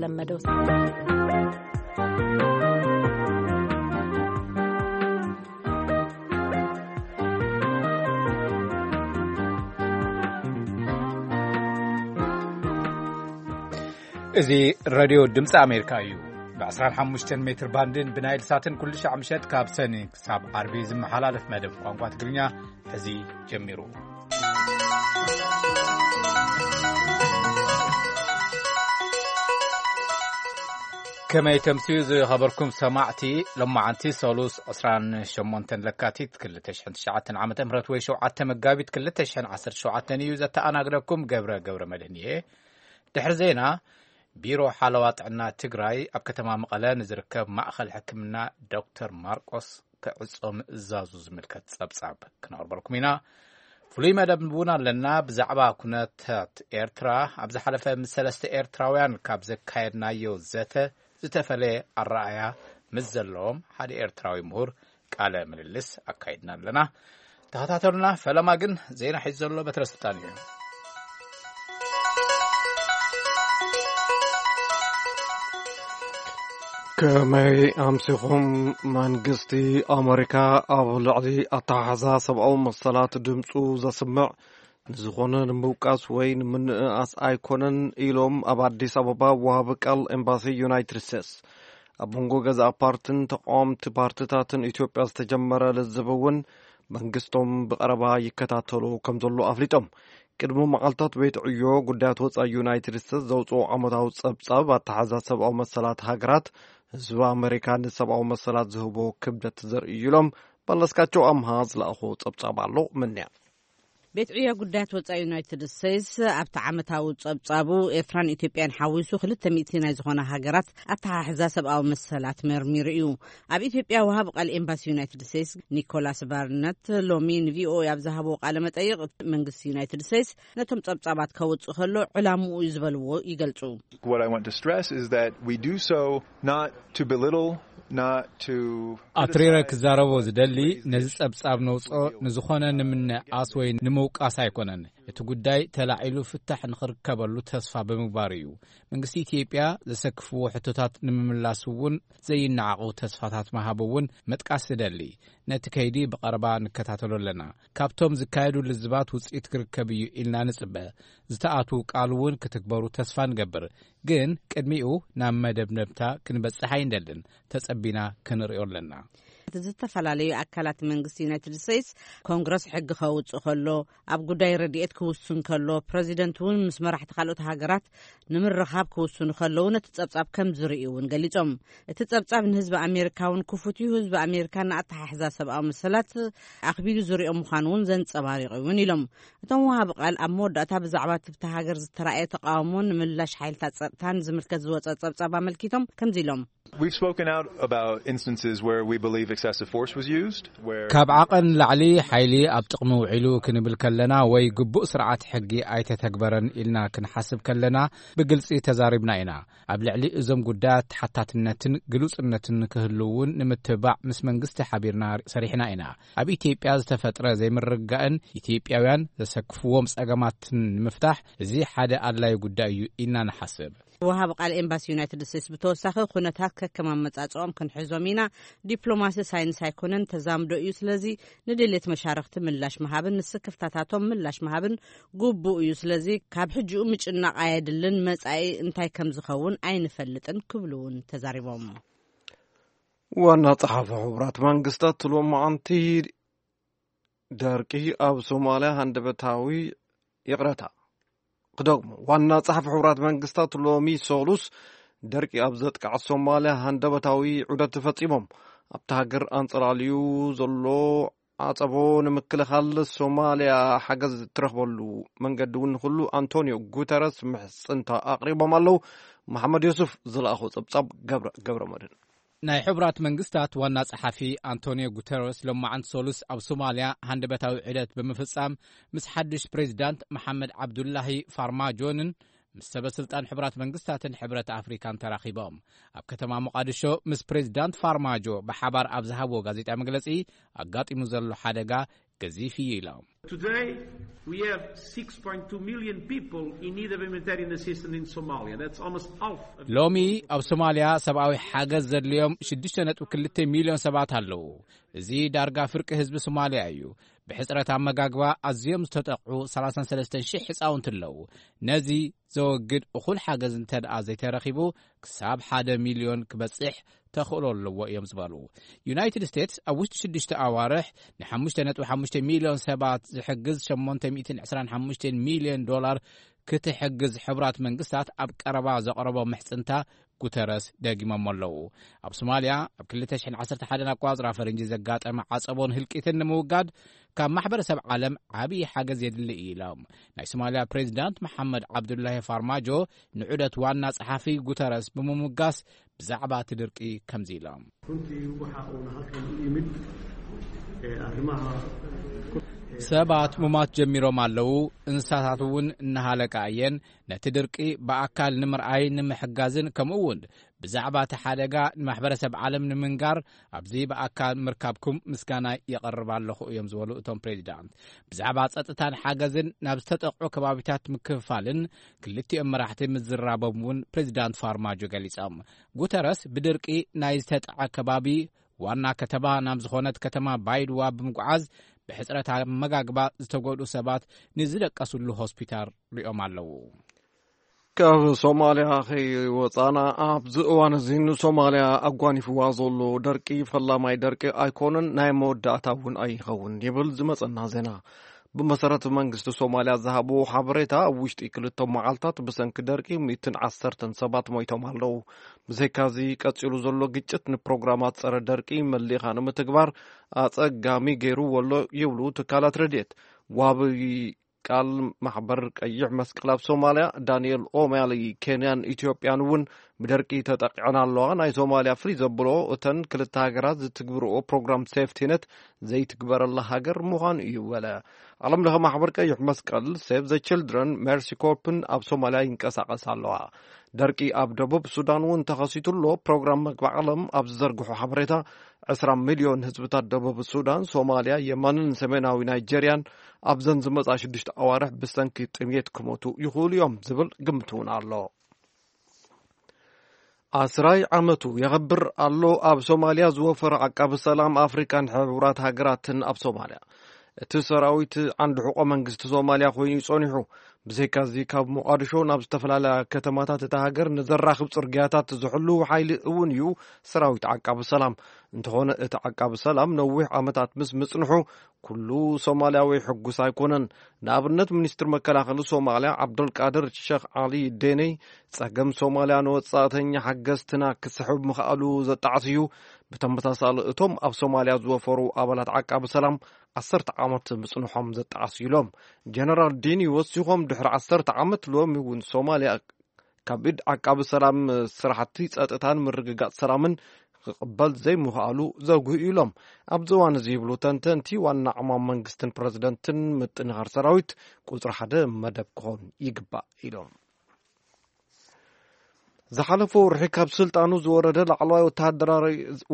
ለመደው። እዚ ሬድዮ ድምፂ ኣሜሪካ እዩ። ብ25 ሜትር ባንድን ብናይል ሳትን ኩሉ ሻዕ ምሸት ካብ ሰኒ ክሳብ ዓርቢ ዝመሓላለፍ መደብ ቋንቋ ትግርኛ ሕዚ ጀሚሩ። ከመይ ተምስዩ ዝኸበርኩም ሰማዕቲ፣ ሎማዓንቲ ሰሉስ ዕስራን ሸሞንተን ለካቲት ክልተ ሽሕን ትሽዓተን ዓመተ ምህረት ወይ ሸውዓተ መጋቢት ክልተ ሽሕን ዓሰርተ ሸውዓተን እዩ። ዘተኣናግደኩም ገብረ ገብረ መድህን እየ። ድሕሪ ዜና፣ ቢሮ ሓለዋ ጥዕና ትግራይ ኣብ ከተማ መቐለ ንዝርከብ ማእኸል ሕክምና ዶክተር ማርቆስ ክዕጾ ምእዛዙ ዝምልከት ጸብጻብ ክነቕርበልኩም ኢና። ፍሉይ መደብ እውን ኣለና። ብዛዕባ ኩነታት ኤርትራ፣ ኣብ ዝሓለፈ ምስ ሰለስተ ኤርትራውያን ካብ ዘካየድናዮ ዘተ ዝተፈለየ ኣረኣእያ ምስ ዘለዎም ሓደ ኤርትራዊ ምሁር ቃለ ምልልስ ኣካይድና ኣለና። ተኸታተሉና። ፈለማ ግን ዜና ሒዙ ዘሎ በትረ ስልጣን እዩ። ከመይ ኣምሲኹም? መንግስቲ ኣመሪካ ኣብ ልዕሊ ኣተሓሕዛ ሰብኣዊ መሰላት ድምፁ ዘስምዕ ንዝኾነ ንምውቃስ ወይ ንምንእኣስ ኣይኮነን ኢሎም ኣብ ኣዲስ ኣበባ ወሃቢ ቃል ኤምባሲ ዩናይትድ ስቴትስ። ኣብ መንጎ ገዛእ ፓርትን ተቃወምቲ ፓርትታትን ኢትዮጵያ ዝተጀመረ ልዝብ እውን መንግስቶም ብቐረባ ይከታተሉ ከም ዘሎ ኣፍሊጦም። ቅድሚ መዓልታት ቤት ዕዮ ጉዳያት ወጻኢ ዩናይትድ ስቴትስ ዘውፅኦ ዓመታዊ ጸብጻብ ኣተሓዛ ሰብኣዊ መሰላት ሃገራት ህዝቢ ኣመሪካ ንሰብኣዊ መሰላት ዝህቦ ክብደት ዘርእዩ ኢሎም። መለስካቸው ኣምሃ ዝለኣኾ ጸብጻብ ኣሎ። ምንያ ቤት ዕዮ ጉዳያት ወጻኢ ዩናይትድ ስቴትስ ኣብቲ ዓመታዊ ጸብጻቡ ኤርትራን ኢትዮጵያን ሓዊሱ ክልተ ሚእቲ ናይ ዝኾና ሃገራት ኣተሓሕዛ ሰብኣዊ መሰላት መርሚሩ እዩ። ኣብ ኢትዮጵያ ወሃቢ ቃል ኤምባሲ ዩናይትድ ስቴትስ ኒኮላስ ባርነት ሎሚ ንቪኦኤ ኣብ ዝሃብዎ ቃለ መጠይቕ፣ መንግስቲ ዩናይትድ ስቴትስ ነቶም ጸብጻባት ከውጽእ ከሎ ዕላምኡ እዩ ዝበልዎ ይገልጹ። What I want to stress is that we do so not to belittle, not to ኣትሪረ ክዛረቦ ዝደሊ፣ ነዚ ጸብጻብ ነውጽኦ ንዝኾነ ንምንኣስ ወይ ንምውቃስ ኣይኮነን። እቲ ጉዳይ ተላዒሉ ፍታሕ ንኽርከበሉ ተስፋ ብምግባር እዩ። መንግስቲ ኢትዮጵያ ዘሰክፍዎ ሕቶታት ንምምላስ እውን ዘይነዓቑ ተስፋታት ምሃብ እውን መጥቃስ ዝደሊ። ነቲ ከይዲ ብቐረባ ንከታተሎ ኣለና። ካብቶም ዝካየዱ ልዝባት ውፅኢት ክርከብ እዩ ኢልና ንፅበ። ዝተኣትዉ ቃል እውን ክትግበሩ ተስፋ ንገብር። ግን ቅድሚኡ ናብ መደብነብታ ክንበፅሕ ኣይንደልን። ተጸቢና ክንርእዮ ኣለና። ዝተፈላለዩ ኣካላት መንግስቲ ዩናይትድ ስቴትስ ኮንግረስ ሕጊ ከውፅእ ከሎ፣ ኣብ ጉዳይ ረድኤት ክውስን ከሎ፣ ፕረዚደንት እውን ምስ መራሕቲ ካልኦት ሃገራት ንምርኻብ ክውስኑ ከለዉ ነቲ ጸብጻብ ከም ዝርእዩ እውን ገሊጾም። እቲ ጸብጻብ ንህዝቢ ኣሜሪካ እውን ክፉት እዩ። ህዝቢ ኣሜሪካ ንኣተሓሕዛ ሰብኣዊ መሰላት ኣኽቢዱ ዝርእዮ ምዃኑ እውን ዘንጸባሪቑ እውን ኢሎም። እቶም ወሃቢ ቃል ኣብ መወዳእታ ብዛዕባ ትብቲ ሃገር ዝተራእየ ተቃውሞን ምላሽ ሓይልታት ጸጥታን ዝምልከት ዝወጸ ጸብጻብ ኣመልኪቶም ከምዚ ኢሎም። We've spoken out about instances where we believe excessive force was used, where ካብ ዓቐን ላዕሊ ሓይሊ ኣብ ጥቕሚ ውዒሉ ክንብል ከለና ወይ ግቡእ ስርዓት ሕጊ ኣይተተግበረን ኢልና ክንሓስብ ከለና ብግልጺ ተዛሪብና ኢና። ኣብ ልዕሊ እዞም ጉዳያት ተሓታትነትን ግሉጽነትን ክህሉ እውን ንምትብባዕ ምስ መንግስቲ ሓቢርና ሰሪሕና ኢና። ኣብ ኢትዮጵያ ዝተፈጥረ ዘይምርግጋእን ኢትዮጵያውያን ዘሰክፍዎም ጸገማትን ንምፍታሕ እዚ ሓደ ኣድላዪ ጉዳይ እዩ ኢልና ንሓስብ። ወሃቢ ቃል ኤምባሲ ዩናይትድ ስቴትስ ብተወሳኺ፣ ኩነታት ከከም ኣመጻጽኦም ክንሕዞም ኢና። ዲፕሎማሲ ሳይንስ ኣይኮነን፣ ተዛምዶ እዩ። ስለዚ ንድሌት መሻርኽቲ ምላሽ ምሃብን ንስክፍታታቶም ምላሽ ምሃብን ግቡእ እዩ። ስለዚ ካብ ሕጂኡ ምጭናቕ ኣየድልን፣ መጻኢ እንታይ ከም ዝኸውን ኣይንፈልጥን ክብሉ እውን ተዛሪቦም። ዋና ጸሓፊ ሕቡራት መንግስታት ሎማዓንቲ ደርቂ ኣብ ሶማልያ ሃንደበታዊ፣ ይቕረታ፣ ክደግሞ፣ ዋና ጸሓፊ ሕቡራት መንግስታት ሎሚ ሰሉስ ደርቂ ኣብ ዘጥቃዕ ሶማልያ ሃንደበታዊ ዑደት ፈጺሞም። ኣብታ ሃገር ኣንጸላልዩ ዘሎ ዓጸቦ ንምክልኻል ሶማልያ ሓገዝ ትረኽበሉ መንገዲ እውን ንኹሉ ኣንቶኒዮ ጉተረስ ምሕጽንታ ኣቕሪቦም ኣለዉ። መሓመድ ዮሱፍ ዝለኣኾ ጸብጻብ ገብረ፣ ገብረ መድህን። ናይ ሕቡራት መንግስታት ዋና ጸሓፊ ኣንቶኒዮ ጉተረስ ሎማዓንቲ ሰሉስ ኣብ ሶማልያ ሃንደበታዊ ዑደት ብምፍጻም ምስ ሓድሽ ፕሬዚዳንት መሓመድ ዓብዱላሂ ፋርማጆንን ምስ ሰበ ስልጣን ሕቡራት መንግስታትን ሕብረት ኣፍሪካን ተራኺቦም። ኣብ ከተማ ሞቃዲሾ ምስ ፕሬዚዳንት ፋርማጆ ብሓባር ኣብ ዝሃብዎ ጋዜጣ መግለጺ፣ ኣጋጢሙ ዘሎ ሓደጋ ገዚፍ እዩ ኢሎም። Today, we have six point two million people in need of humanitarian assistance in Somalia. That's almost half of ሎሚ ኣብ ሶማልያ ሰብኣዊ ሓገዝ ዘድልዮም ሽዱሽተ ነጥቢ ክልተ ሚልዮን ሰባት ኣለዉ። እዚ ዳርጋ ፍርቂ ህዝቢ ሶማልያ እዩ። ብሕጽረት ኣመጋግባ ኣዝዮም ዝተጠቕዑ ሰላሳን ሰለስተን ሽሕ ህጻውንቲ ኣለዉ። ነዚ ዘወግድ እኹል ሓገዝ እንተ ደኣ ዘይተረኺቡ ክሳብ ሓደ ሚልዮን ክበጽሕ ተኽእሎ ኣለዎ እዮም ዝበሉ። ዩናይትድ ስቴትስ ኣብ ውሽጢ ሽዱሽተ ኣዋርሕ ንሓሙሽተ ነጥቢ ሓሙሽተ ሚልዮን ሰባት ዝሕግዝ ሸሞንተ ሚእትን ዕስራን ሓሙሽተን ሚልዮን ዶላር ክትሕግዝ ሕቡራት መንግስታት ኣብ ቀረባ ዘቕረቦ ምሕጽንታ ጉተረስ ደጊሞሞ ኣለዉ። ኣብ ሶማልያ ኣብ ክልተ ሽሕን ዓሰርተ ሓደን ኣቋጽራ ፈረንጂ ዘጋጠመ ዓጸቦን ህልቂትን ንምውጋድ ካብ ማሕበረሰብ ዓለም ዓብዪ ሓገዝ የድሊ እዩ ኢሎም። ናይ ሶማልያ ፕሬዚዳንት መሓመድ ዓብዱላሂ ፋርማጆ ንዑደት ዋና ጸሓፊ ጉተረስ ብምምጋስ ብዛዕባ እቲ ድርቂ ከምዚ ኢሎም። Runtii waxa uuna halkan u yimid arrimaha ሰባት ሙማት ጀሚሮም ኣለዉ። እንስሳታት እውን እናሃለቃ እየን። ነቲ ድርቂ ብኣካል ንምርኣይ ንምሕጋዝን ከምኡ እውን ብዛዕባ እቲ ሓደጋ ንማሕበረሰብ ዓለም ንምንጋር ኣብዚ ብኣካል ምርካብኩም ምስጋና የቐርብ ኣለኹ እዮም ዝበሉ እቶም ፕሬዚዳንት። ብዛዕባ ጸጥታን ሓገዝን ናብ ዝተጠቕዑ ከባቢታት ምክፍፋልን ክልቲኦም መራሕቲ ምዝራቦም እውን ፕሬዚዳንት ፋርማጆ ገሊጾም። ጉተረስ ብድርቂ ናይ ዝተጠዐ ከባቢ ዋና ከተማ ናብ ዝኾነት ከተማ ባይድዋ ብምጉዓዝ ብሕጽረት ኣመጋግባ ዝተጎድኡ ሰባት ንዝደቀስሉ ሆስፒታል ሪኦም ኣለዉ። ካብ ሶማልያ ከይወፃና ኣብዚ እዋን እዚ ንሶማልያ ኣጓኒፍዋ ዘሎ ደርቂ ፈላማይ ደርቂ ኣይኮነን፣ ናይ መወዳእታ እውን ኣይኸውን ይብል ዝመፀና ዜና። ብመሰረት መንግስቲ ሶማልያ ዝሃቦ ሓበሬታ ኣብ ውሽጢ ክልተ መዓልታት ብሰንኪ ደርቂ ሚእትን ዓሰርተን ሰባት ሞይቶም ኣለዉ። ብዘይካዚ ቀፂሉ ዘሎ ግጭት ንፕሮግራማት ፀረ ደርቂ መሊእኻ ንምትግባር ኣፀጋሚ ገይሩ ወሎ ይብሉ ትካላት ረድኤት። ዋቢ ቃል ማሕበር ቀይሕ መስቀል ኣብ ሶማልያ ዳንኤል ኦማሊ፣ ኬንያን ኢትዮጵያን እውን ብደርቂ ተጠቂዐን ኣለዋ። ናይ ሶማልያ ፍልይ ዘብሎ እተን ክልተ ሃገራት ዝትግብርኦ ፕሮግራም ሴፍቲነት ዘይትግበረላ ሃገር ምዃኑ እዩ በለ። ዓለም ለኸ ማሕበር ቀይሕ መስቀል ሴቭ ዘ ችልድረን ሜርሲ ኮርፕን ኣብ ሶማልያ ይንቀሳቐስ ኣለዋ። ደርቂ ኣብ ደቡብ ሱዳን እውን ተኸሲቱ ኣሎ። ፕሮግራም መግቢ ዓለም ኣብ ዝዘርግሖ ሓበሬታ ዕስራ ሚልዮን ህዝብታት ደቡብ ሱዳን፣ ሶማልያ፣ የመንን ሰሜናዊ ናይጀርያን ኣብዘን ዝመጻ ሽዱሽተ ኣዋርሕ ብሰንኪ ጥምየት ክሞቱ ይኽእሉ እዮም ዝብል ግምት እውን ኣሎ። ኣስራይ ዓመቱ የኸብር ኣሎ ኣብ ሶማልያ ዝወፈረ ዓቃቢ ሰላም ኣፍሪካን ሕቡራት ሃገራትን ኣብ ሶማልያ። እቲ ሰራዊት ዓንዲ ሕቆ መንግስቲ ሶማልያ ኮይኑ እዩ ጸኒሑ። ብዘይካዚ ካብ ሞቓድሾ ናብ ዝተፈላለያ ከተማታት እታ ሃገር ንዘራኽብ ጽርግያታት ዝሕሉ ሓይሊ እውን እዩ ሰራዊት ዓቃቢ ሰላም። እንተኾነ እቲ ዓቃቢ ሰላም ነዊሕ ዓመታት ምስ ምጽንሑ ኩሉ ሶማልያዊ ሕጉስ ኣይኮነን። ንኣብነት ሚኒስትር መከላኸሊ ሶማልያ ዓብዶልቃድር ሸኽ ዓሊ ዴነይ ጸገም ሶማልያ ንወጻእተኛ ሓገዝትና ክስሕብ ምኽኣሉ ዘጣዕስ እዩ። ብተመሳሳሊ እቶም ኣብ ሶማልያ ዝወፈሩ ኣባላት ዓቃቢ ሰላም ዓሰርተ ዓመት ምጽንሖም ዘጣዕስ ኢሎም። ጀነራል ዲኒ ወሲኾም ድሕሪ ዓሰርተ ዓመት ሎሚ እውን ሶማልያ ካብ ኢድ ዓቃቢ ሰላም ስራሕቲ ጸጥታን ምርግጋጽ ሰላምን ክቕበል ዘይምኽኣሉ ዘጉህ ኢሎም። ኣብዚ እዋን እዚ ይብሉ ተንተንቲ ዋና ዕማም መንግስትን ፕረዚደንትን ምጥንኻር ሰራዊት ቁጽሪ ሓደ መደብ ክኾን ይግባእ ኢሎም። ዝሓለፈ ወርሒ ካብ ስልጣኑ ዝወረደ ላዕለዋይ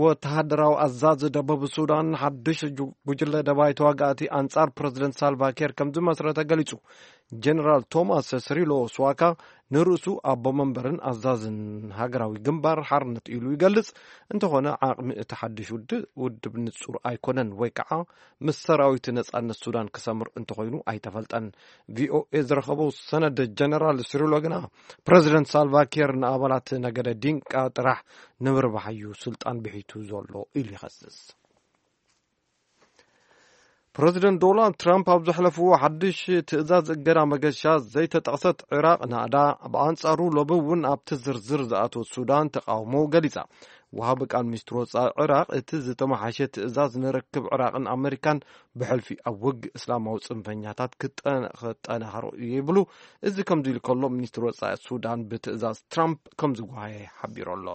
ወተሃደራዊ ኣዛዚ ደቡብ ሱዳን ሓድሽ ጉጅለ ደባይ ተዋጋእቲ ኣንጻር ፕረዚደንት ሳልቫኪር ከም ዝመስረተ ገሊጹ። ጀነራል ቶማስ ስሪሎ ስዋካ ንርእሱ ኣቦ መንበርን ኣዛዝን ሃገራዊ ግንባር ሓርነት ኢሉ ይገልጽ። እንተኾነ ዓቕሚ እቲ ሓድሽ ውድብ ንጹር ኣይኮነን ወይ ከዓ ምስ ሰራዊት ነጻነት ሱዳን ክሰምር እንተኾይኑ ኣይተፈልጠን። ቪኦኤ ዝረኸቦ ሰነድ ጀነራል ስሪሎ ግና ፕረዚደንት ሳልቫኪር ንኣባላት ነገደ ዲንቃ ጥራሕ ንምርባሕ እዩ ስልጣን ብሒቱ ዘሎ ኢሉ ይኸስስ። ፕረዚደንት ዶናልድ ትራምፕ ኣብ ዘሕለፍዎ ሓድሽ ትእዛዝ እገዳ መገሻ ዘይተጠቕሰት ዒራቕ ናእዳ፣ ብኣንጻሩ ሎሚ እውን ኣብቲ ዝርዝር ዝኣተወት ሱዳን ተቓውሞ ገሊጻ። ወሃቢ ቃል ሚኒስትር ወጻኢ ዒራቕ እቲ ዝተመሓሸ ትእዛዝ ንርክብ ዒራቕን ኣመሪካን ብሕልፊ ኣብ ውግእ እስላማዊ ጽንፈኛታት ክጠናኸሮ እዩ ይብሉ። እዚ ከምዚ ኢሉ ከሎ ሚኒስትር ወጻኢ ሱዳን ብትእዛዝ ትራምፕ ከም ዝጓሃየ ሓቢሩ ኣሎ።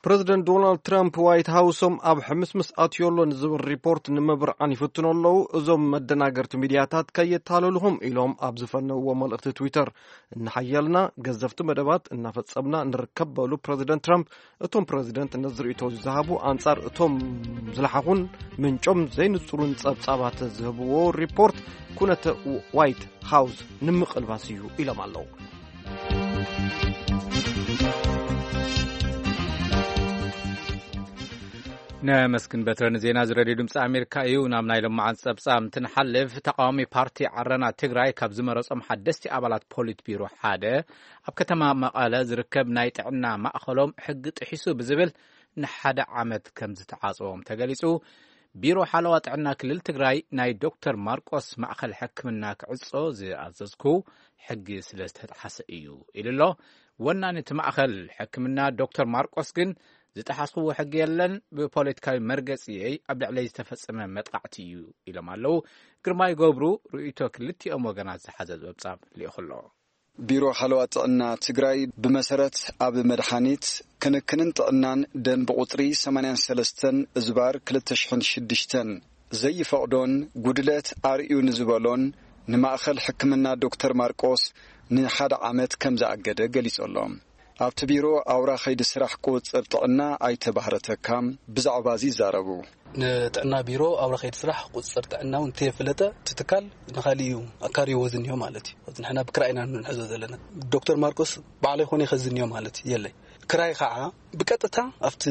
ፕረዚደንት ዶናልድ ትራምፕ ዋይት ሃውሶም ኣብ ሕምስምስ ኣትዮ ኣሎ ንዝብል ሪፖርት ንምብርዓን ይፍትኑ ኣለዉ። እዞም መደናገርቲ ሚድያታት ከየታለልኹም ኢሎም ኣብ ዝፈነውዎ መልእኽቲ ትዊተር፣ እናሓየልና ገዘፍቲ መደባት እናፈጸምና ንርከብ በሉ ፕረዚደንት ትራምፕ። እቶም ፕረዚደንት ነዚ ርእይቶ ዝሃቡ ኣንጻር እቶም ዝለሓኹን ምንጮም ዘይንጹሩን ጸብጻባት ዝህብዎ ሪፖርት ኩነተ ዋይት ሃውስ ንምቕልባስ እዩ ኢሎም ኣለዉ። ነመስግን በትረ ንዜና እዚ ሬድዮ ድምፂ ኣሜሪካ እዩ። ናብ ናይ ሎማዓንቲ ጸብጻብ እንትንሓልፍ፣ ተቃዋሚ ፓርቲ ዓረና ትግራይ ካብ ዝመረጾም ሓደስቲ ኣባላት ፖሊት ቢሮ ሓደ፣ ኣብ ከተማ መቐለ ዝርከብ ናይ ጥዕና ማእኸሎም ሕጊ ጥሒሱ ብዝብል ንሓደ ዓመት ከም ዝተዓጽዎም ተገሊጹ። ቢሮ ሓለዋ ጥዕና ክልል ትግራይ ናይ ዶክተር ማርቆስ ማእኸል ሕክምና ክዕጾ ዝኣዘዝኩ ሕጊ ስለ ዝተጣሓሰ እዩ ኢሉ ኣሎ። ወናኒ እቲ ማእኸል ሕክምና ዶክተር ማርቆስ ግን ዝጠሓስክዎ ሕጊ የለን፣ ብፖለቲካዊ መርገጺየይ ኣብ ልዕለይ ዝተፈጸመ መጥቃዕቲ እዩ ኢሎም ኣለዉ። ግርማይ ገብሩ ርእይቶ ክልቲኦም ወገናት ዝሓዘ ጸብጻብ ልኢኹ ኣሎ። ቢሮ ሓለዋ ጥዕና ትግራይ ብመሰረት ኣብ መድሓኒት ክንክንን ጥዕናን ደንብ ቁፅሪ ሰማንያን ሰለስተን እዝባር ክልተ ሽሕን ሽዱሽተን ዘይፈቕዶን ጉድለት ኣርእዩ ንዝበሎን ንማእኸል ሕክምና ዶክተር ማርቆስ ንሓደ ዓመት ከም ዝኣገደ ገሊጹ ኣሎ። ኣብቲ ቢሮ ኣውራ ኸይዲ ስራሕ ቁፅር ጥዕና ኣይተ ባህረ ተካ ብዛዕባ እዚ ይዛረቡ። ንጥዕና ቢሮ ኣውራ ኸይዲ ስራሕ ቁፅር ጥዕና እውን እንተየፍለጠ እቲ ትካል ንኻሊእ እዩ ኣካርይዎ ዝኒሆ ማለት እዩ። ንሕና ብክራይ ኢና ንሕዞ ዘለና። ዶክተር ማርቆስ ባዕለይ ኮነ ከዝንዮ ማለት የለይ። ክራይ ከዓ ብቀጥታ ኣብቲ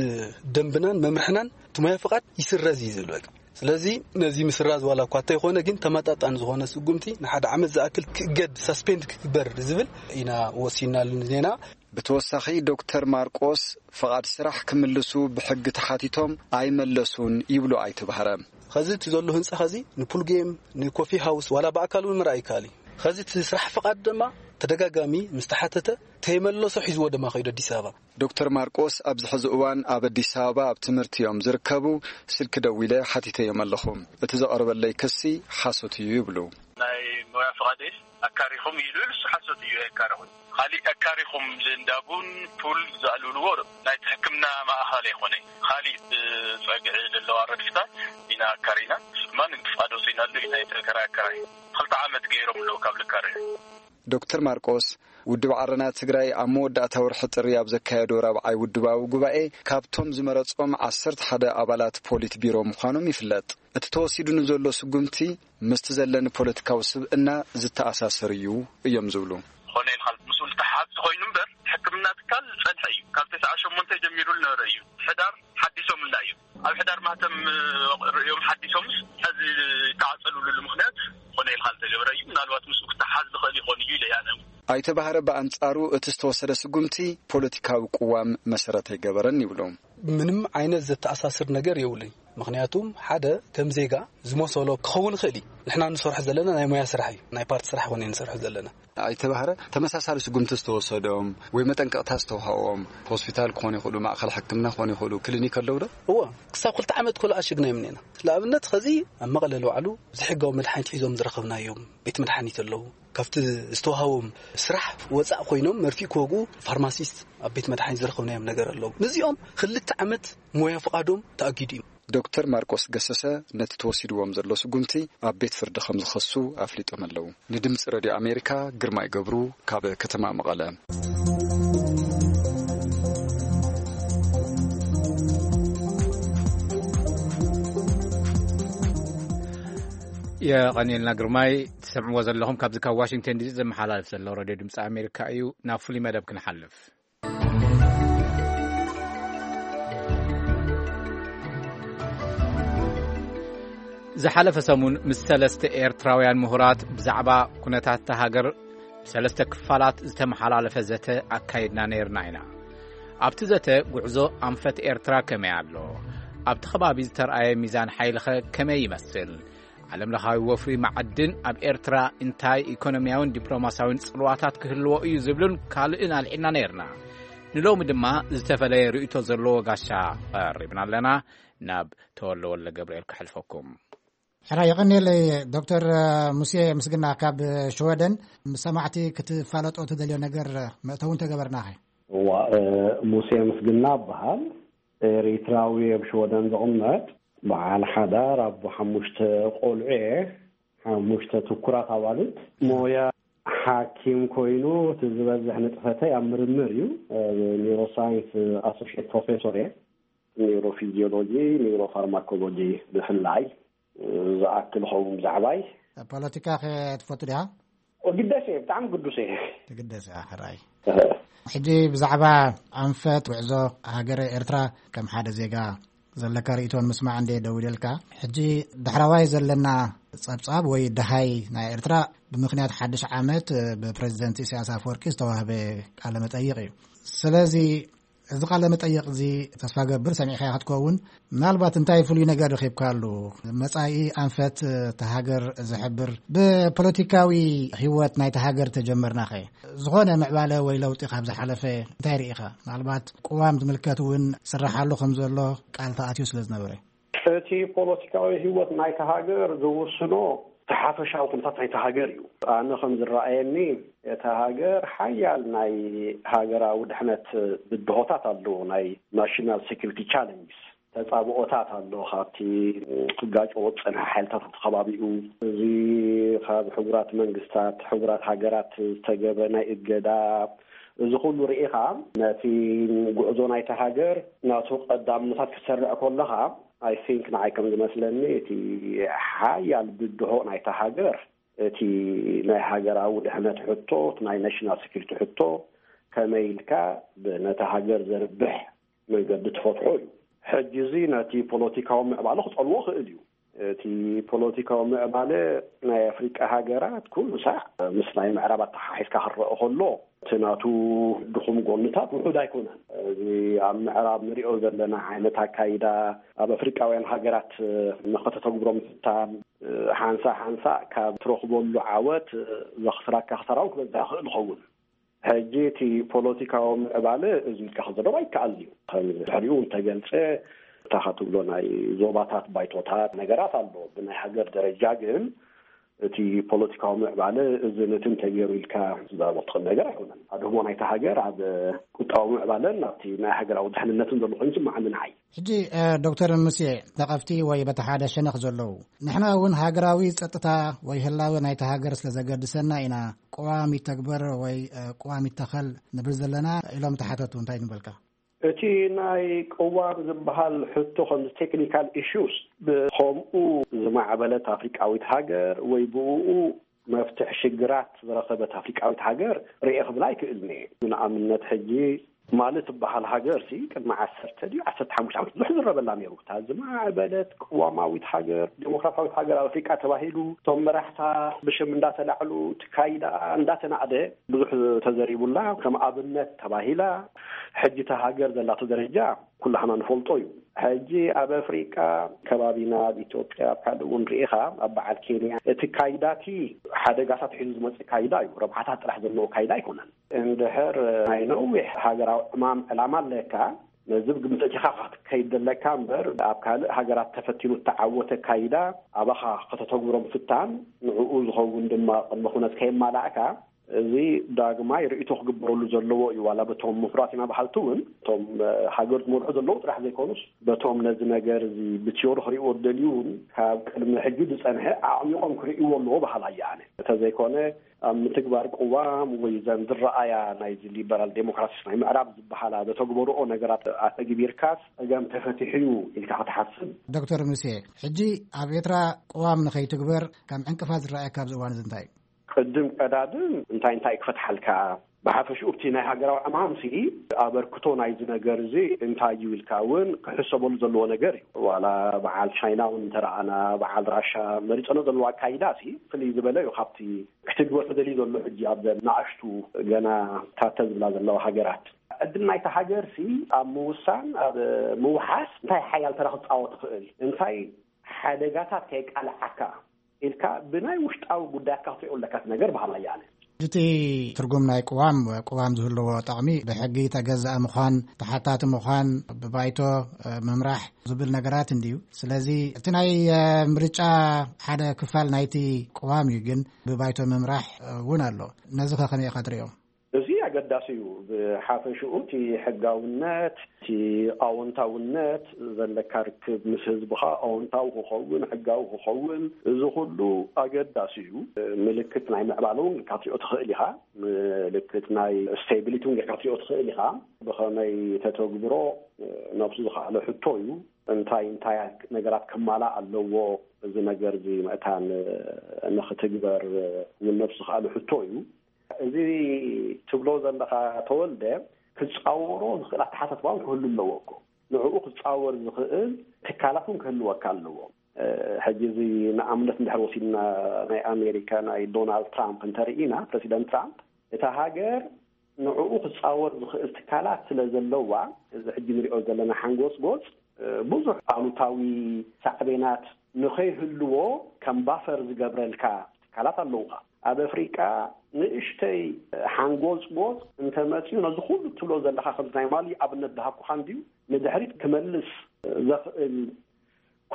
ደንብናን መምርሕናን እቲ ሞያ ፍቓድ ይስረዝ እዩ ዝብል በቃ። ስለዚ ነዚ ምስራዝ ዋላ እኳ እንተይኮነ ግን ተመጣጣኒ ዝኾነ ስጉምቲ ንሓደ ዓመት ዝኣክል ክእገድ ሳስፔንድ ክግበር ዝብል ኢና ወሲናሉ ዜና። ብተወሳኺ ዶክተር ማርቆስ ፍቓድ ስራሕ ክምልሱ ብሕጊ ተሓቲቶም ኣይመለሱን ይብሉ ኣይተ ባህረ። ኸዚ እቲ ዘሎ ህንፃ ኸዚ ንፑል ጌም ንኮፊ ሃውስ ዋላ ብኣካል እውን ምርኣይ ይከኣል እዩ። ኸዚ እቲ ስራሕ ፍቓድ ድማ ተደጋጋሚ ምስ ተሓተተ ተይመለሶ ሒዝዎ ድማ ከይዱ ኣዲስ ኣበባ። ዶክተር ማርቆስ ኣብዚ ሕዚ እዋን ኣብ ኣዲስ ኣበባ ኣብ ትምህርቲ እዮም ዝርከቡ። ስልኪ ደዊለ ሓቲተዮም ኣለኹ። እቲ ዘቐረበለይ ክሲ ሓሶት እዩ ይብሉ። ናይ ሞያ ፍቓደይስ ኣካሪኹም ኢሉ ኢሉ እሱ ሓሶት እዩ። ኣካሪኹም ካሊእ ኣካሪኹም ልእንዳቡን ፑል ዘዕልልዎ ናይቲ ሕክምና ማእኸል ኣይኮነ። ካሊእ ብፀግዒ ዘለዋ ረድፍታት ኢና ኣካሪና። እሱ ድማ ንግዲ ፍቓድ ወፂእናሉ ኢና። ናይ ተከራይ ኣካራይ ክልተ ዓመት ገይሮም ኣለዉ ካብ ልካረዩ። ዶክተር ማርቆስ ውድብ ዓረና ትግራይ ኣብ መወዳእታ ወርሒ ጥሪ ኣብ ዘካየዶ ራብዓይ ውድባዊ ጉባኤ ካብቶም ዝመረጾም ዓሰርተ ሓደ ኣባላት ፖሊት ቢሮ ምዃኖም ይፍለጥ። እቲ ተወሲዱ ንዘሎ ስጉምቲ ምስቲ ዘለኒ ፖለቲካዊ ስብእና ዝተኣሳሰር እዩ እዮም ዝብሉ። ኾነ ኢልካ ምስኡ ዝተሓዝ ኮይኑ እምበር ሕክምና ትካል ዝጸንሐ እዩ። ካብ ተስዓ ሸሞንተ ጀሚሩ ዝነበረ እዩ። ሕዳር ሓዲሶምልና እዩ። ኣብ ሕዳር ማህተም ርእዮም ሓዲሶምስ ሕዚ ዝተዓጸሉሉ ምኽንያት ኾነ ኢልካ ዝተገበረ እዩ። ምናልባት ምስኡ ክተሓዝ ዝኽእል ይኾን እዩ ኢለ እያ ኣነ። ኣይተ ባህረ ብኣንጻሩ እቲ ዝተወሰደ ስጉምቲ ፖለቲካዊ ቅዋም መሰረት ኣይገበረን ይብሉ። ምንም ዓይነት ዘተኣሳስር ነገር የብሉን። ምኽንያቱም ሓደ ከም ዜጋ ዝመሰሎ ክኸውን ይኽእል እዩ። ንሕና ንሰርሖ ዘለና ናይ ሞያ ስራሕ እዩ፣ ናይ ፓርቲ ስራሕ ኾነ ንሰርሖ ዘለና። ኣይተ ባህረ ተመሳሳሊ ስጉምቲ ዝተወሰዶም ወይ መጠንቀቕታ ዝተውሃቦም ሆስፒታል ክኾኑ ይኽእሉ፣ ማእኸል ሕክምና ክኾኑ ይኽእሉ፣ ክሊኒክ ኣለዉ ዶ? እወ፣ ክሳብ ክልተ ዓመት ኮሎ ኣሽግና እዮም እኒአና። ንኣብነት ኸዚ ኣብ መቐለ ለውዓሉ ዘይሕጋዊ መድሓኒት ሒዞም ዝረኸብናዮም ቤት መድሓኒት ኣለዉ። ካብቲ ዝተውሃቦም ስራሕ ወፃእ ኮይኖም መርፊእ ክወግኡ ፋርማሲስት ኣብ ቤት መድሓኒት ዝረኸብናዮም ነገር ኣለዉ። ነዚኦም ክልተ ዓመት ሞያ ፍቓዶም ተኣጊዱ እዩ። ዶክተር ማርቆስ ገሰሰ ነቲ ተወሲድዎም ዘሎ ስጉምቲ ኣብ ቤት ፍርዲ ከም ዝኸሱ ኣፍሊጦም ኣለዉ። ንድምፂ ረድዮ ኣሜሪካ ግርማይ ገብሩ ካብ ከተማ መቐለ። የቐንየልና ግርማይ። ትሰምዕዎ ዘለኹም ካብዚ ካብ ዋሽንግተን ዲሲ ዘመሓላልፍ ዘሎ ረድዮ ድምፂ ኣሜሪካ እዩ። ናብ ፍሉይ መደብ ክንሓልፍ። ዝሓለፈ ሰሙን ምስ ሰለስተ ኤርትራውያን ምሁራት ብዛዕባ ኩነታት እታ ሃገር ብሰለስተ ክፋላት ዝተመሓላለፈ ዘተ ኣካይድና ነይርና ኢና። ኣብቲ ዘተ ጉዕዞ ኣንፈት ኤርትራ ከመይ ኣሎ? ኣብቲ ከባቢ ዝተርኣየ ሚዛን ሓይልኸ ከመይ ይመስል? ዓለምለኻዊ ወፍሪ መዓድን ኣብ ኤርትራ እንታይ ኢኮኖሚያውን ዲፕሎማሲያውን ጽልዋታት ክህልዎ እዩ ዝብልን ካልእን ኣልዒልና ነይርና። ንሎሚ ድማ ዝተፈለየ ርእይቶ ዘለዎ ጋሻ ቀሪብና ኣለና። ናብ ተወልደ ወልደ ገብርኤል ከሕልፈኩም። ሕራይ የቐንየለይ ዶክተር ሙሴ ምስግና ካብ ሽወደን። ምስ ሰማዕቲ ክትፋለጦ ትደልዮ ነገር መእተዊ እንተገበርናኸ? እዋ፣ እ፣ ሙሴ ምስግና እበሃል። ኤሪትራዊ ኣብ ሽወደን ዝቕመጥ በዓል ሓዳር ኣቦ ሓሙሽተ ቆልዑ እየ። ሓሙሽተ ትኩራት ኣዋልድ። ሞያ ሓኪም ኮይኑ፣ እቲ ዝበዝሕ ንጥፈተይ ኣብ ምርምር እዩ። ኒውሮሳይንስ ኣሶሽየት ፕሮፌሶር እየ። ኒውሮፊዚዮሎጂ፣ ኒውሮፋርማኮሎጂ ብፍላይ ዝኣክል ኸውን ብዛዕባይ። ፖለቲካ ከ ትፈቱ ዲኻ? ግደስ እየ፣ ብጣዕሚ ግዱስ እየ። ትግደስ እያ፣ ሕራይ። ሕጂ ብዛዕባ ኣንፈት ጉዕዞ ሃገረ ኤርትራ ከም ሓደ ዜጋ ዘለካ ርእይቶን ምስማዕ እንደ ደው ኢለልካ፣ ሕጂ ዳሕራዋይ ዘለና ጸብጻብ ወይ ደሃይ ናይ ኤርትራ ብምኽንያት ሓድሽ ዓመት ብፕረዚደንት ኢሳያስ ኣፈወርቂ ዝተዋህበ ቃለ መጠይቕ እዩ። ስለዚ እዚ ቃለ መጠይቕ እዚ ተስፋ ገብር ሰሚዕካ ክትከውን፣ ምናልባት እንታይ ፍሉይ ነገር ረኺብካሉ? መጻኢ ኣንፈት እታ ሃገር ዝሕብር፣ ብፖለቲካዊ ህይወት ናይታ ሃገር ተጀመርናኸ፣ ዝኾነ ምዕባለ ወይ ለውጢ ካብ ዝሓለፈ እንታይ ርኢኻ? ምናልባት ቅዋም ዝምልከት እውን ስራሓሉ ከም ዘሎ ቃል ተኣትዩ ስለ ዝነበረ። እቲ ፖለቲካዊ ህይወት ናይታ ሃገር ዝውስኖ እቲ ሓፈሻዊ ኩነታት ናይታ ሃገር እዩ። ኣነ ከም ዝረኣየኒ፣ እታ ሃገር ሓያል ናይ ሃገራዊ ድሕነት ብድሆታት ኣለዎ፣ ናይ ናሽናል ሴኩሪቲ ቻለንጅስ፣ ተጻብኦታት ኣሎ። ካብቲ ክጋጨዎ ዝጸንሐ ሓይልታት ኣብቲ ከባቢኡ፣ እዚ ካብ ሕቡራት መንግስታት፣ ሕቡራት ሃገራት ዝተገብረ ናይ እገዳ፣ እዚ ኩሉ ርኢኻ ነቲ ጉዕዞ ናይታ ሃገር ናቱ ቀዳምነታት ክትሰርዕ ከለኻ፣ ኣይ ቲንክ ንዓይ ከም ዝመስለኒ እቲ ሓያል ብድሆ ናይታ ሃገር እቲ ናይ ሃገራዊ ድሕነት ሕቶ፣ እቲ ናይ ናሽናል ሴኩሪቲ ሕቶ ከመይ ኢልካ ብ-፣ ነታ ሃገር ዘርብሕ መንገዲ ትፈትሖ እዩ። ሕጂ እዚ ነቲ ፖለቲካዊ ምዕባለ ክጸልዎ ክእል እዩ። እቲ ፖለቲካዊ ምዕባለ ናይ ኣፍሪቃ ሃገራት ኩሉ ሳዕ ምስ ናይ ምዕራብ ኣተሓሒዝካ ክረአ ከሎ፣ እቲ ናቱ ድኹም ጎንታት ውሑድ ኣይኮነን። እዚ ኣብ ምዕራብ ንሪኦ ዘለና ዓይነት ኣካይዳ፣ ኣብ ኣፍሪቃውያን ሃገራት ንኸተተግብሮ ምፍታን፣ ሓንሳእ ሓንሳእ ካብ ትረኽበሉ ዓወት ዘኽስራካ ክሳራ እውን ክበዝሕ ይኽእል ይኸውን። ሕጂ እቲ ፖለቲካዊ ምዕባለ እዚ ኢልካ ክዘረብ ኣይከኣልን እዩ። ከም ድሕሪኡ እንተገልጸ፣ እታ ክትብሎ ናይ ዞባታት ባይቶታት ነገራት ኣሎ። ብናይ ሃገር ደረጃ ግን እቲ ፖለቲካዊ ምዕባለ እዚ ነቲ እንተገይሩ ኢልካ ክትዛረቦ ትኽእል ነገር ኣይኮነን። ኣድህቦ ናይታ ሃገር ኣብ ቁጠባዊ ምዕባለን ኣብቲ ናይ ሃገራዊ ድሕንነትን ዘሎ ኮይኑ ይስምዓኒ ንዓይ። ሕጂ፣ እ፣ ዶክተር ሙሴ፣ ነቐፍቲ ወይ በቲ ሓደ ሸነኽ ዘለዉ፣ ንሕና እውን ሃገራዊ ጸጥታ ወይ ህላወ ናይታ ሃገር ስለ ዘገድሰና ኢና ቅዋም ይተግበር ወይ፣ እ፣ ቅዋም ይተኸል ንብል ዘለና ኢሎም ተሓተቱ። እንታይ ንበልካ? እቲ ናይ ቅዋም ዝበሃል ሕቶ ከምዚ ቴክኒካል ኢሹስ ብኸምኡ ዝማዕበለት ኣፍሪቃዊት ሃገር ወይ ብእኡ መፍትሒ ሽግራት ዝረኸበት ኣፍሪቃዊት ሃገር ርኤ ክብል ኣይክእልን እየ። ንኣብነት ሕጂ ማሊ ትበሃል ሃገር ሲ ቅድሚ ዓሰርተ ድዩ ዓሰርተ ሓሙሽተ ዓመት ብዙሕ ዝረበላ ነይሩ። እታ ዝማዕበለት ቅዋማዊት ሃገር፣ ዴሞክራሲያዊት ሃገር ኣብ ኣፍሪቃ ተባሂሉ፣ እቶም መራሕታ ብሽም እንዳተላዕሉ፣ ትካይዳ እንዳተናዕደ ብዙሕ ተዘሪቡላ፣ ከም ኣብነት ተባሂላ። ሕጂ እታ ሃገር ዘላቶ ደረጃ ኩላህና ንፈልጦ እዩ። ሕጂ ኣብ ኣፍሪቃ ከባቢና፣ ኣብ ኢትዮጵያ፣ ኣብ ካልእ እውን ርኢኻ፣ ኣብ በዓል ኬንያ፣ እቲ ካይዳቲ ሓደጋታት ሒዙ ዝመጽእ ካይዳ እዩ። ረብሓታት ጥራሕ ዘለዎ ካይዳ ኣይኮነን። እንድሕር ናይ ነዊሕ ሃገራዊ ዕማም ዕላማ ኣለካ፣ ነዚ ብግምት ኣእቲኻ ክትከይድ ዘለካ እምበር፣ ኣብ ካልእ ሃገራት ተፈቲኑ እተዓወተ ካይዳ ኣባኻ ከተተግብሮ ምፍታን፣ ንዕኡ ዝኸውን ድማ ቅድመ ኩነት ከየማላእካ፣ እዚ ዳግማይ ርእይቶ ክግበረሉ ዘለዎ እዩ። ዋላ በቶም ምሁራት ኢና በሃልቲ እውን፣ እቶም፣ እ፣ ሃገር ዝመርሑ ዘለዉ ጥራሕ ዘይኮኑስ፣ በቶም ነዚ ነገር እዚ ብቲዮሪ ክርእይዎ ዝደልዩ እውን፣ ካብ ቅድሚ ሕጂ ዝጸንሐ ኣዕሚቖም ክርእይዎ ኣለዎ በሃላይ እየ ኣነ። እንተዘይኮነ፣ ኣብ ምትግባር ቅዋም ወይ ዘን ዝረኣያ ናይዚ ሊበራል ዴሞክራሲስ ናይ ምዕራብ ዝበሃላ ዘተግበርኦ ነገራት ኣተግቢርካስ ጸገም ተፈቲሑ እዩ ኢልካ ክትሓስብ። ዶክተር ሙሴ፣ ሕጂ ኣብ ኤርትራ ቅዋም ንኸይትግበር ከም ዕንቅፋት ዝረኣየካ ኣብዚ እዋን እዚ እንታይ እዩ? ቅድም ቀዳድም እንታይ እንታይ ክፈትሓልካ፣ ብሓፈሽኡ እቲ ናይ ሃገራዊ ዕማምሲ ኣበርክቶ ናይዚ ነገር እዚ እንታይ እዩ ኢልካ እውን ክሕሰበሉ ዘለዎ ነገር እዩ። ዋላ በዓል ቻይና እውን እንተረኣና፣ በዓል ራሻ መሪጸኖ ዘለዎ ኣካይዳ ሲ ፍልይ ዝበለ እዩ ካብቲ ክትግበር ተደልዩ ዘሎ ሕጂ ኣብዘን ንኣሽቱ ገና ታተ ዝብላ ዘለዋ ሃገራት። ዕድል ናይታ ሃገርሲ ኣብ ምውሳን፣ ኣብ ምውሓስ እንታይ ሓያል ተራ ክትጻወት ትኽእል፣ እንታይ ሓደጋታት ከየቃልዓካ ኢልካ ብናይ ውሽጣዊ ጉዳያትካ ክትሪኦ ኣለካ እቲ ነገር በሃላይ እየ ኣነ። እቲ ትርጉም ናይ ቅዋም፣ ቅዋም ዝህልዎ ጠቕሚ ብሕጊ ተገዛእ ምዃን፣ ተሓታቲ ምዃን፣ ብባይቶ፣ እ፣ ምምራሕ ዝብል ነገራት እንድዩ። ስለዚ እቲ ናይ፣ እ፣ ምርጫ ሓደ ክፋል ናይቲ ቅዋም እዩ፣ ግን ብባይቶ ምምራሕ፣ እ፣ እውን ኣሎ። ነዚ ከ ከመይ ኢኻ ትሪኦ? እዚ ኣገዳሲ ዳስ እዩ። ብሓፈሽኡ እቲ ሕጋውነት፣ እቲ ኣወንታውነት ዘለካ ርክብ ምስ ህዝብኻ ኣወንታዊ ክኸውን፣ ሕጋዊ ክኸውን፣ እዚ ኩሉ ኣገዳሲ እዩ። ምልክት ናይ ምዕባለ እውን ጌርካ ክትሪኦ ትኽእል ኢኻ። ምልክት ናይ ስቴቢሊቲ እውን ጌርካ ክትሪኦ ትኽእል ኢኻ። ብኸመይ ተተግብሮ ነብሱ ዝኸኣለ ሕቶ እዩ። እንታይ እንታይ ነገራት ክማላእ ኣለዎ እዚ ነገር እዚ ምእታን ንኽትግበር እውን ነብሱ ዝኸኣለ ሕቶ እዩ። እዚ ትብሎ ዘለኻ ተወልደ ክጻወሮ ዝኽእል ኣተሓሳስባ እውን ክህሉ ኣለዎ እኮ። ንዕኡ ክጻወር ዝኽእል ትካላት እውን ክህልወካ ኣለዎ። ሕጂ እዚ ንኣብነት እንድሕር ወሲድና ናይ ኣሜሪካ ናይ ዶናልድ ትራምፕ እንተርኢና፣ ፕረሲደንት ትራምፕ እታ ሃገር ንዕኡ ክጻወር ዝኽእል ትካላት ስለ ዘለዋ፣ እዚ ሕጂ ንሪኦ ዘለና ሓንጎጽጎጽ ብዙሕ ኣሉታዊ ሳዕቤናት ንኸይህልዎ ከም ባፈር ዝገብረልካ ትካላት ኣለውኻ። ኣብ ኣፍሪቃ ንእሽተይ ሓንጎጽጎጽ እንተመጽዩ ነዚ ኩሉ ትብሎ ዘለኻ ከምዚ ናይ ማሊ ኣብነት ዝሃብኩኻ እንድዩ ንድሕሪት ክመልስ ዘኽእል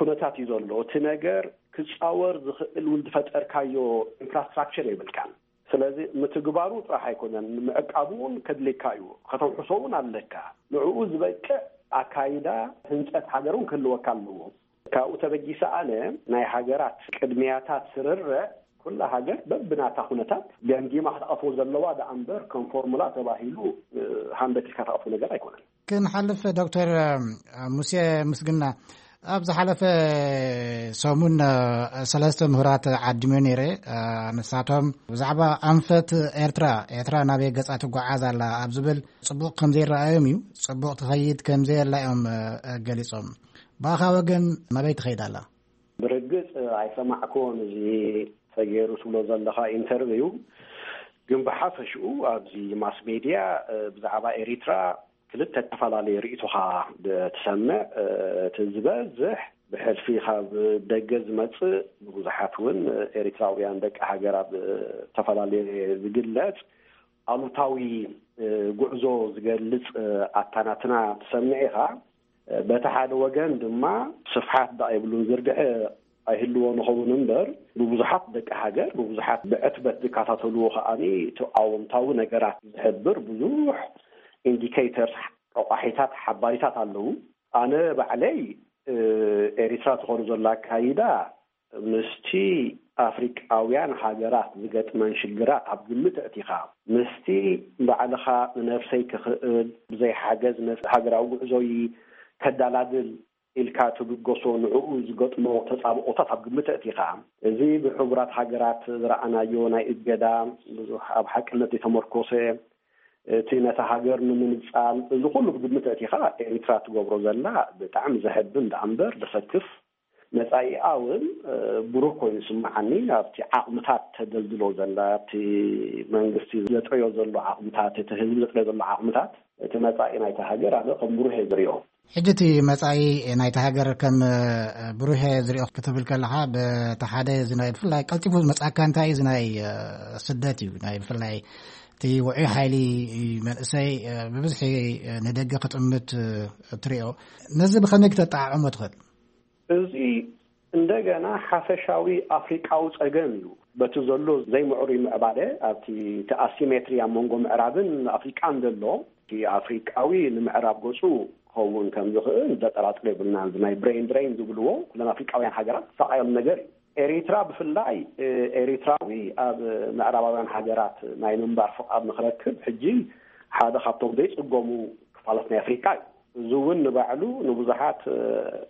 ኩነታት እዩ ዘሎ። እቲ ነገር ክጻወር ዝኽእል እውን ዝፈጠርካዮ ኢንፍራስትራክቸር የብልካን። ስለዚ ምትግባሩ ጥራሕ ኣይኮነን፣ ምዕቃቡ እውን ከድልየካ እዩ። ከተውሕሶ እውን ኣለካ። ንዕኡ ዝበቅዕ ኣካይዳ ህንጸት ሃገር እውን ክህልወካ ኣለዎ። ካብኡ ተበጊሰ ኣነ ናይ ሃገራት ቅድሚያታት ስርርዕ ኩላ ሃገር በብናታ ኩነታት ገምጊማ ክትኣትዎ ዘለዋ ደኣ እምበር ከም ፎርሙላ ተባሂሉ ሃንደት ኢልካ ትኣትዎ ነገር ኣይኮነን። ክንሓልፍ ዶክተር ሙሴ ምስግና፣ ኣብ ዝሓለፈ ሰሙን ሰለስተ ምሁራት ዓዲመ ነይረ። ንሳቶም ብዛዕባ ኣንፈት ኤርትራ፣ ኤርትራ ናበይ ገጻ ትጓዓዝ ኣላ ኣብ ዝብል ጽቡቕ ከም ዘይረኣዮም እዩ፣ ጽቡቕ ትኸይድ ከም ዘየላ እዮም ገሊጾም። ብኣኻ ወገን ናበይ ትኸይድ ኣላ? ብርግጽ ኣይሰማዕኩዎን እዚ ተገይሩ ትብሎ ዘለኻ ኢንተርቪው፣ ግን ብሓፈሽኡ ኣብዚ ማስ ሜድያ ብዛዕባ ኤሪትራ ክልተ ዝተፈላለዩ ርእይቶኻ ትሰምዕ። እቲ ዝበዝሕ ብሕልፊ ካብ ደገ ዝመጽእ፣ ብብዙሓት እውን ኤሪትራውያን ደቂ ሃገር ኣብ ዝተፈላለየ ዝግለጽ ኣሉታዊ ጉዕዞ ዝገልጽ ኣታናትና ትሰምዕ ኢኻ። በቲ ሓደ ወገን ድማ ስፍሓት ደኣ የብሉን ዝርግሐ ኣይህልዎ ንኸውን እምበር፣ ብብዙሓት ደቂ ሃገር፣ ብብዙሓት ብዕትበት ዝከታተልዎ ከኣኒ እቲ ኣወንታዊ ነገራት ዝሕብር ብዙሕ ኢንዲኬተርስ፣ ረቋሒታት፣ ሓባሪታት ኣለዉ። ኣነ ባዕለይ ኤሪትራ ትኸዱ ዘላ ኣካይዳ ምስቲ ኣፍሪቃውያን ሃገራት ዝገጥመን ሽግራት ኣብ ግምት ኣእቲኻ፣ ምስቲ ባዕልኻ ንነብሰይ ክኽእል ብዘይ ሓገዝ ነቲ ሃገራዊ ጉዕዞይ ከዳላድል ኢልካ ትብገሶ ንዕኡ ዝገጥሞ ተጻብኦታት ኣብ ግምት ኣእቲኻ፣ እዚ ብሕቡራት ሃገራት ዝረኣናዮ ናይ እገዳ ብዙሕ ኣብ ሓቅነት ዘይተመርኮሰ፣ እቲ ነታ ሃገር ንምንጻል፣ እዚ ኩሉ ብግምት ኣእቲኻ ኤሪትራ ትገብሮ ዘላ ብጣዕሚ ዘሕብን ደኣ እምበር ዘሰክፍ፣ መጻኢኣ እውን ብሩህ ኮይኑ ይስምዓኒ። ኣብቲ ዓቕምታት ተደልድሎ ዘላ፣ ኣብቲ መንግስቲ ዘጥረዮ ዘሎ ዓቕምታት፣ እቲ ህዝቢ ዘጥረዮ ዘሎ ዓቕምታት፣ እቲ መጻኢ ናይታ ሃገር ኣነ ከም ብሩህ እየ ዝሪኦ። ሕጂ እቲ መጻኢ ናይታ ሃገር ከም ብሩህ እየ ዝሪኦ ክትብል ከለኻ፣ በቲ ሓደ እዚ ናይ ብፍላይ ቀልጢፉ ዝመጽኣካ እንታይ እዩ? እዚ ናይ ስደት እዩ። ናይ ብፍላይ እቲ ውዑይ ሓይሊ መንእሰይ ብብዝሒ ንደገ ክጥምት ትሪኦ። ነዚ ብኸመይ ክተጠዓዕሞ ትኽእል? እዚ እንደገና ሓፈሻዊ ኣፍሪቃዊ ጸገም እዩ። በቲ ዘሎ ዘይምዕሩይ ምዕባለ ኣብቲ እቲ ኣሲሜትሪ ኣብ መንጎ ምዕራብን ኣፍሪቃን ዘሎ፣ እቲ ኣፍሪቃዊ ንምዕራብ ገጹ ክኸውን ከም ዝኽእል ዘጠራጥር የብልናን። እዚ ናይ ብሬን ድሬን ዝብልዎ ኩለን ኣፍሪቃውያን ሃገራት ዝሰቃያሉ ነገር እዩ። ኤሪትራ ብፍላይ ኤሪትራዊ ኣብ ምዕራባውያን ሃገራት ናይ ምንባር ፍቓድ ንክረክብ ሕጂ ሓደ ካብቶም ዘይጽገሙ ክፋላት ናይ ኣፍሪቃ እዩ። እዚ እውን ንባዕሉ ንብዙሓት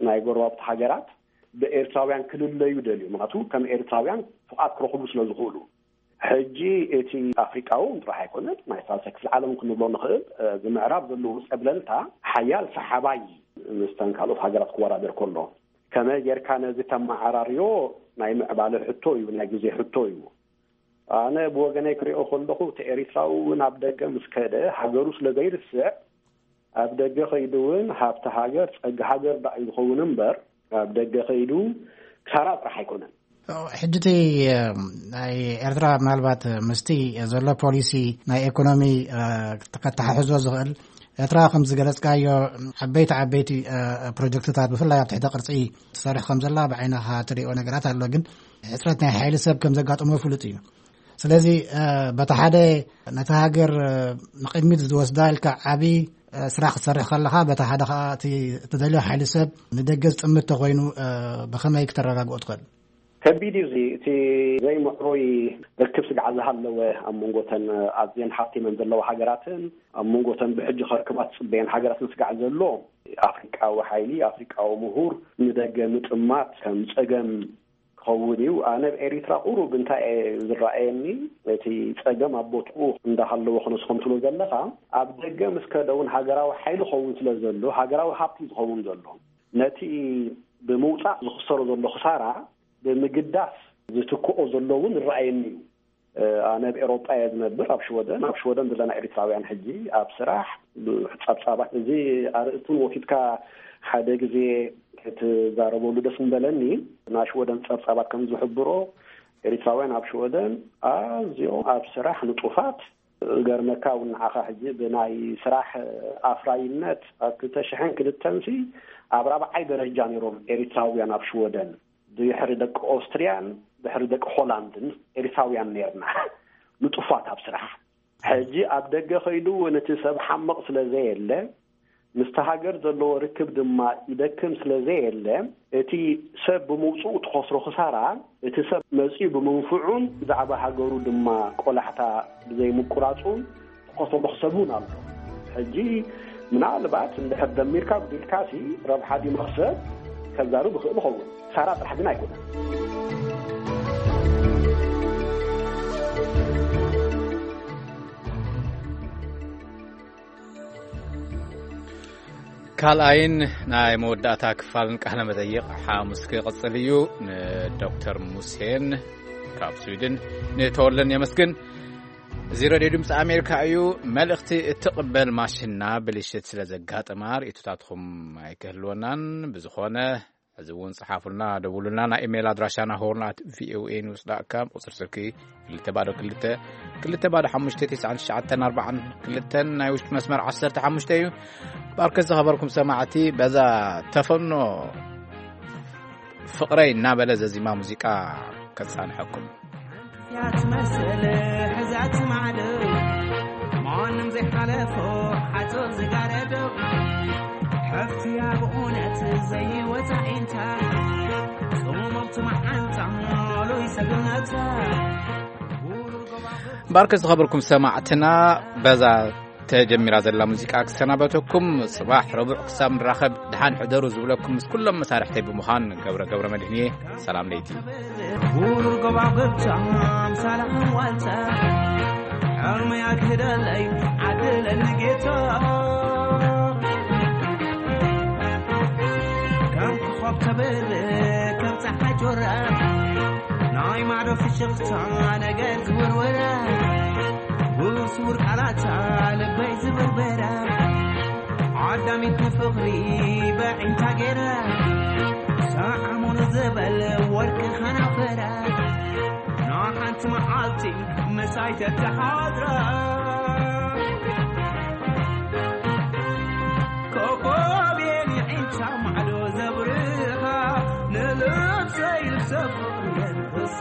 ናይ ጎረባብቲ ሃገራት ብኤርትራውያን ክልለዩ ደልዩ፣ ምክንያቱ ከም ኤርትራውያን ፍቓድ ክረኽቡ ስለ ዝኽእሉ። ሕጂ እቲ ኣፍሪቃዊ እውን ጥራሕ ኣይኮነን፣ ናይ ሳልሳይ ክፍሊ ዓለም ክንብሎ ንኽእል፣ እዚ ምዕራብ ዘለዎ ጸብለልታ ሓያል ሰሓባይ ምስተን ካልኦት ሃገራት ክወዳደር ከሎ፣ ከመይ ጌርካ ነዚ ተመዓራርዮ ናይ ምዕባለ ሕቶ እዩ፣ ናይ ግዜ ሕቶ እዩ። ኣነ ብወገነይ ክሪኦ ከለኹ እቲ ኤሪትራዊ እውን ኣብ ደገ ምስ ከደ ሃገሩ ስለ ዘይርስዕ፣ ኣብ ደገ ከይዱ እውን ሃብቲ ሃገር ጸጋ ሃገር ደኣ እዩ ዝኸውን እምበር ኣብ ደገ ከይዱ ክሳራ ጥራሕ ኣይኮነን። ሕጂ እቲ ናይ ኤርትራ ምናልባት ምስቲ ዘሎ ፖሊሲ ናይ ኢኮኖሚ ከተሓሕዞ ዝኽእል፣ ኤርትራ ከም ዝገለጽካዮ ዓበይቲ ዓበይቲ ፕሮጀክትታት ብፍላይ ኣብ ትሕተ ቅርጺ ትሰርሕ ከም ዘላ ብዓይንኻ ትሪኦ ነገራት ኣሎ። ግን ሕጽረት ናይ ሓይሊ ሰብ ከም ዘጋጥሞ ፍሉጥ እዩ። ስለዚ በታ ሓደ ነቲ ሃገር ንቕድሚት ዝወስዳ ኢልካ ዓቢ ስራሕ ክትሰርሕ ከለኻ፣ በታ ሓደ ከዓ እቲ እትደልዮ ሓይሊ ሰብ ንደገ ዝጥምት ተኮይኑ፣ ብኸመይ ክተረጋግኦ ትኽእል? ከቢድ እዩ። እዚ እቲ ዘይምዕሩይ ርክብ ስግዓ ዝሃለወ ኣብ መንጎተን ኣዝየን ሓብቲመን ዘለዋ ሃገራትን ኣብ መንጎተን ብሕጂ ከርክባት ዝፅበየን ሃገራትን ስጋዕ ዘሎ ኣፍሪቃዊ ሓይሊ፣ ኣፍሪቃዊ ምሁር ንደገ ምጥማት ከም ፀገም ክኸውን እዩ። ኣነ ኣብ ኤሪትራ ቁሩብ እንታይ እየ ዝረኣየኒ፣ እቲ ጸገም ኣብ ቦትኡ እንዳሃለወ ክነስኾም ትብሎ ዘለኻ፣ ኣብ ደገ ምስ ከደ እውን ሃገራዊ ሓይሊ ክኸውን ስለ ዘሎ፣ ሃገራዊ ሃብቲ ዝኸውን ዘሎ፣ ነቲ ብምውጻእ ዝኽሰሮ ዘሎ ክሳራ ብምግዳስ ዝትክኦ ዘሎ እውን ይረኣየኒ እዩ። ኣነ ኣብ ኤሮጳ እየ ዝነብር፣ ኣብ ሽወደን። ኣብ ሽወደን ዘለና ኤሪትራውያን ሕጂ ኣብ ስራሕ ጸብጻባት፣ እዚ ኣርእስቱን ወኪትካ ሓደ ግዜ ክትዛረበሉ ደስ ምበለኒ። ናይ ሽወደን ጸብጻባት ከም ዝሕብሮ፣ ኤሪትራውያን ኣብ ሽወደን ኣዝዮም ኣብ ስራሕ ንጡፋት። ገርመካ እውን ንዓኻ ሕጂ ብናይ ስራሕ ኣፍራይነት ኣብ ክልተ ሽሕን ክልተን ሲ ኣብ ራብዓይ ደረጃ ነይሮም ኤሪትራውያን ኣብ ሽወደን። ድሕሪ ደቂ ኦስትርያን ድሕሪ ደቂ ሆላንድን ኤሪትራውያን ነርና ንጡፋት ኣብ ስራሕ። ሕጂ ኣብ ደገ ከይዱ እውን እቲ ሰብ ሓምቕ ስለ ዘየለ፣ ምስቲ ሃገር ዘለዎ ርክብ ድማ ይደክም ስለ ዘየለ፣ እቲ ሰብ ብምውፅኡ ትኸስሮ ክሳራ፣ እቲ ሰብ መፂኡ ብምንፍዑን ብዛዕባ ሃገሩ ድማ ቆላሕታ ብዘይምቁራፁን ትኸስሮ መኽሰብ እውን ኣሎ። ሕጂ ምናልባት እንድሕር ደሚርካ ጉዲልካሲ ረብሓ ድዩ መኽሰብ ከዛርብ ይኽእል ይኸውን። ክሳራ ጥራሕ ግን ኣይኮነን። ካልኣይን ናይ መወዳእታ ክፋልን ቃለ መጠይቕ ሓሙስ ክቕጽል እዩ። ንዶክተር ሙሴን ካብ ስዊድን፣ ንተወለን የመስግን። እዚ ሬድዮ ድምፂ ኣሜሪካ እዩ። መልእኽቲ እትቕበል ማሽና ብልሽት ስለ ዘጋጠማ ርእይቶታትኩም ኣይክህልወናን። ብዝኾነ እዚ እውን ጽሓፉልና፣ ደውሉልና። ናይ ኢሜይል ኣድራሻና ሆርን ኣት ቪኦኤ ኒውስ ዳት ካም፣ ቁጽሪ ስልኪ ክልተ ባዶ ክልተ፣ ክልተ ባዶ ሓሙሽተ፣ ትሽዓን ትሽዓተን ኣርባዓን ክልተን፣ ናይ ውሽጢ መስመር ዓሰርተ ሓሙሽተ እዩ። ባርከ ዝኸበርኩም ሰማዕቲ፣ በዛ ተፈኖ ፍቕረይ እናበለ ዘዚማ ሙዚቃ ከጻንሐኩም። እያ ትመስል ሕዛት ማዕዶ፣ ማንም ዘይሓለፎ ሓጹር ዝጋረዶ። ሓፍትያ ብእውነት ዘይወጻ ኢንታ፣ ጽሙምቲ መዓንጣ ሉይ ሰብነታ። ባርከ ዝኸበርኩም ሰማዕትና፣ በዛ ተጀሚራ ዘላ ሙዚቃ ክሰናበተኩም። ጽባሕ ረቡዕ ክሳብ ንራኸብ፣ ደሓን ሕደሩ ዝብለኩም ምስ ኩሎም መሳርሕተይ ብምዃን ገብረ፣ ገብረ መድህን እየ። ሰላም ለይቲ። ቡሩር ጎባጉብታ ኣምሳል ኣንዋልታ፣ ሕልሚ ኣግህደለይ ዓድለኒ ጌታ። ከም ኮኾብ ተብርህ ከም ጸሓይ ጆራ፣ ናይ ማዕዶ ፍሽኽታ ነገር ዝውርወራ፣ ብስውር ቃላታ ልበይ ዝበርበራ፣ ዓዳሚት ንፍቕሪ በዒንታ ገይራ፣ ሰዓሙኑ ዝበል ወርቂ ኸናፈራ፣ ንሓንቲ መዓልቲ ምሳይ ተተሓድራ። ኮኾብ የን ዒንታ ማዕዶ ዘብርኻ፣ ንልብሰይ ልብሰ ፍቕሪ የልብሳ።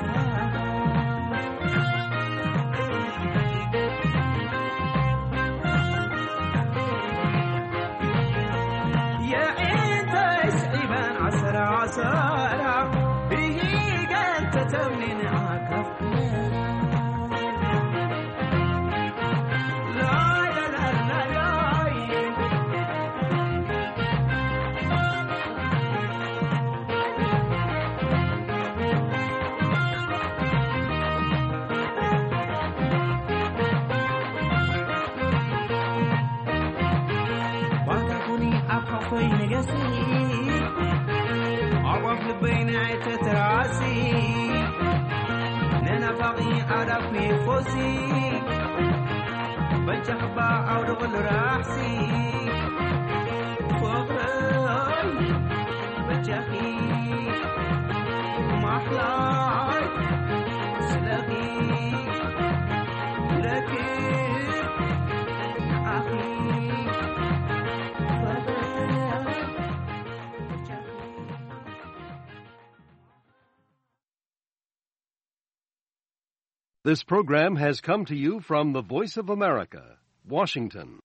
የዒንተይ ስዒበን ዓሰራ ዓሰራ፣ ብሂገን ተተምኒን ዓካፍ ባንታ ኩኒ ኣብ ሓኮይ ንገሲ፣ ኣዕዋፍ ልበይ ንኣይ ተትራሲ፣ ንናፋቒ ኣዳኩ ይፎሲ፣ በጃኽባ ኣውድቕሉ ራሕሲ፣ ፍቕረይ በጃኺ ማሕላይ ስለኺ ረክብ ንዓኺ። This program has come to you from the Voice of America, Washington.